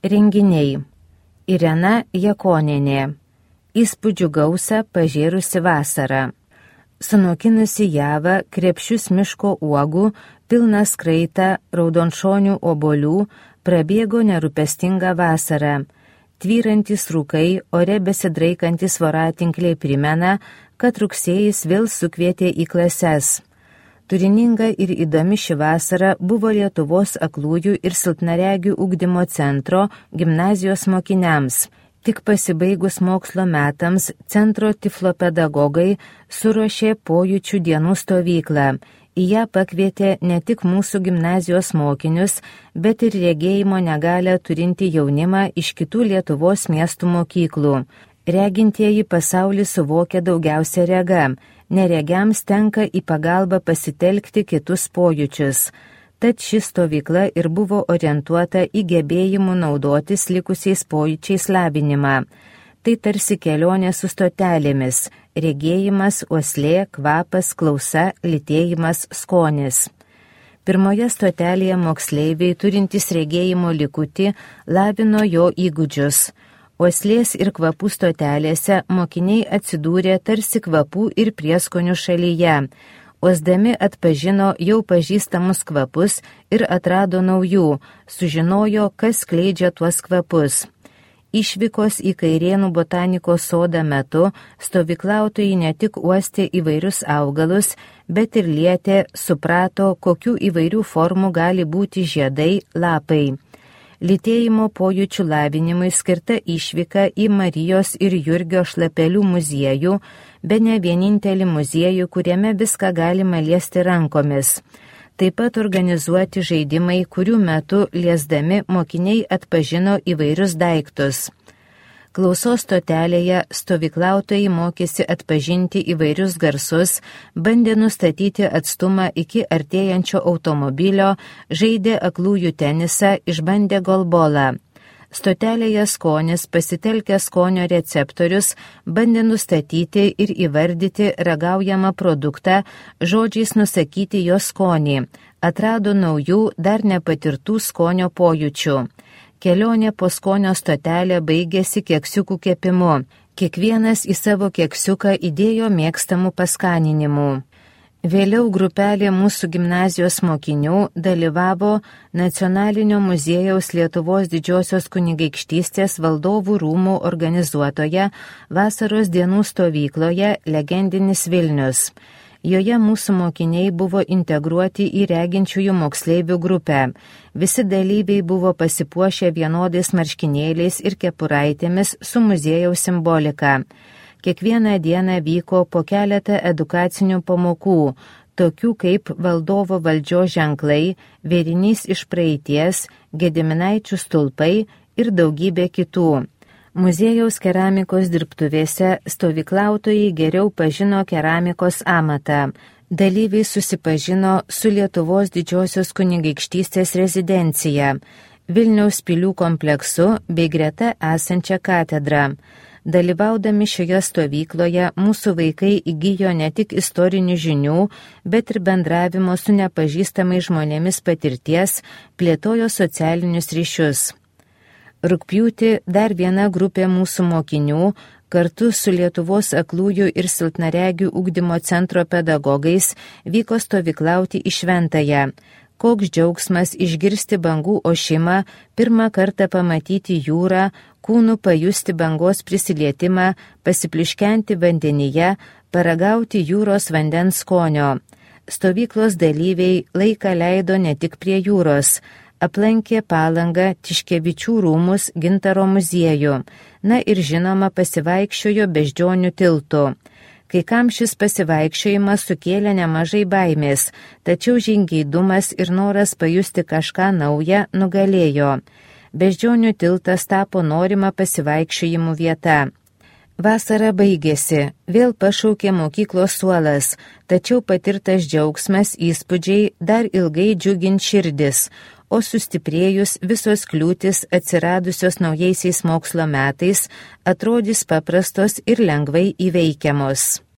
Renginiai. Irena Jakonienė. Įspūdžių gausą pažėrusi vasarą. Sunokinusi javą, krepšius miško uogų, pilną skraitą, raudonšonių obuolių, prabėgo nerūpestinga vasara. Tvyrantis rūkai, ore besidraikantis voratinkliai primena, kad rugsėjis vėl sukvietė į klases. Turininga ir įdomi ši vasara buvo Lietuvos aklųjų ir silpnaregių ugdymo centro gimnazijos mokiniams. Tik pasibaigus mokslo metams centro tiflopedagogai suruošė pojūčių dienų stovyklą. Į ją pakvietė ne tik mūsų gimnazijos mokinius, bet ir regėjimo negalią turinti jaunimą iš kitų Lietuvos miestų mokyklų. Regintieji pasaulį suvokia daugiausia rega, neregiams tenka į pagalbą pasitelkti kitus pojūčius. Tad ši stovykla ir buvo orientuota į gebėjimų naudotis likusiais pojūčiais lavinimą. Tai tarsi kelionė su stotelėmis – regėjimas, uoslė, kvapas, klausa, lytėjimas, skonis. Pirmoje stotelėje moksleiviai turintys regėjimo likutį lavino jo įgūdžius. Uoslės ir kvapų stotelėse mokiniai atsidūrė tarsi kvapų ir prieskonių šalyje. Uosdami atpažino jau pažįstamus kvapus ir atrado naujų, sužinojo, kas skleidžia tuos kvapus. Išvykos į Kairėnų botanikos sodą metu stovyklautojai ne tik uostė įvairius augalus, bet ir lietė, suprato, kokių įvairių formų gali būti žiedai, lapai. Lytėjimo pojūčių lavinimui skirta išvyka į Marijos ir Jurgio Šlapelių muziejų, bene vienintelį muziejų, kuriame viską galima liesti rankomis. Taip pat organizuoti žaidimai, kurių metu liesdami mokiniai atpažino įvairius daiktus. Klausos stotelėje stovyklautojai mokėsi atpažinti įvairius garsus, bandė nustatyti atstumą iki artėjančio automobilio, žaidė aklųjų tenisą, išbandė golbolą. Stotelėje skonis, pasitelkę skonio receptorius, bandė nustatyti ir įvardyti ragaujamą produktą, žodžiais nusakyti jo skonį, atrado naujų, dar nepatirtų skonio pojūčių. Kelionė po skonio stotelę baigėsi keksiukų kepimu. Kiekvienas į savo keksiuką įdėjo mėgstamų paskaninimų. Vėliau grupelė mūsų gimnazijos mokinių dalyvavo Nacionalinio muziejaus Lietuvos Didžiosios kunigaikštystės valdovų rūmų organizuotoje vasaros dienų stovykloje Legendinis Vilnius. Joje mūsų mokiniai buvo integruoti į reginčiųjų moksleivių grupę. Visi dalyviai buvo pasipuošę vienodais marškinėliais ir kepuraitėmis su muziejaus simbolika. Kiekvieną dieną vyko po keletą edukacinių pamokų, tokių kaip valdovo valdžios ženklai, vėrinys iš praeities, Gediminaičių stulpai ir daugybė kitų. Muziejaus keramikos dirbtuvėse stovyklautojai geriau pažino keramikos amatą. Dalyviai susipažino su Lietuvos Didžiosios kunigaikštystės rezidencija, Vilniaus pilių kompleksu bei greta esančia katedra. Dalyvaudami šioje stovykloje mūsų vaikai įgijo ne tik istorinių žinių, bet ir bendravimo su nepažįstamais žmonėmis patirties, plėtojo socialinius ryšius. Rugpjūtį dar viena grupė mūsų mokinių kartu su Lietuvos aklųjų ir silpnaregių ugdymo centro pedagogais vyko stovyklauti į Šventąją. Koks džiaugsmas išgirsti bangų ošimą, pirmą kartą pamatyti jūrą, kūnų pajusti bangos prisilietimą, pasipliškenti vandenyje, paragauti jūros vandens skonio. Stovyklos dalyviai laiką leido ne tik prie jūros. Aplankė Palangą, Tiškevičių rūmus, Gintaro muziejų, na ir žinoma pasivaikščiojo Beždžionių tiltu. Kai kam šis pasivaikščiojimas sukėlė nemažai baimės, tačiau žingeidumas ir noras pajusti kažką naują nugalėjo. Beždžionių tiltas tapo norima pasivaikščiojimų vieta. Vasara baigėsi, vėl pašaukė mokyklos suolas, tačiau patirtas džiaugsmas, įspūdžiai dar ilgai džiugint širdis, o sustiprėjus visos kliūtis atsiradusios naujaisiais mokslo metais atrodys paprastos ir lengvai įveikiamos.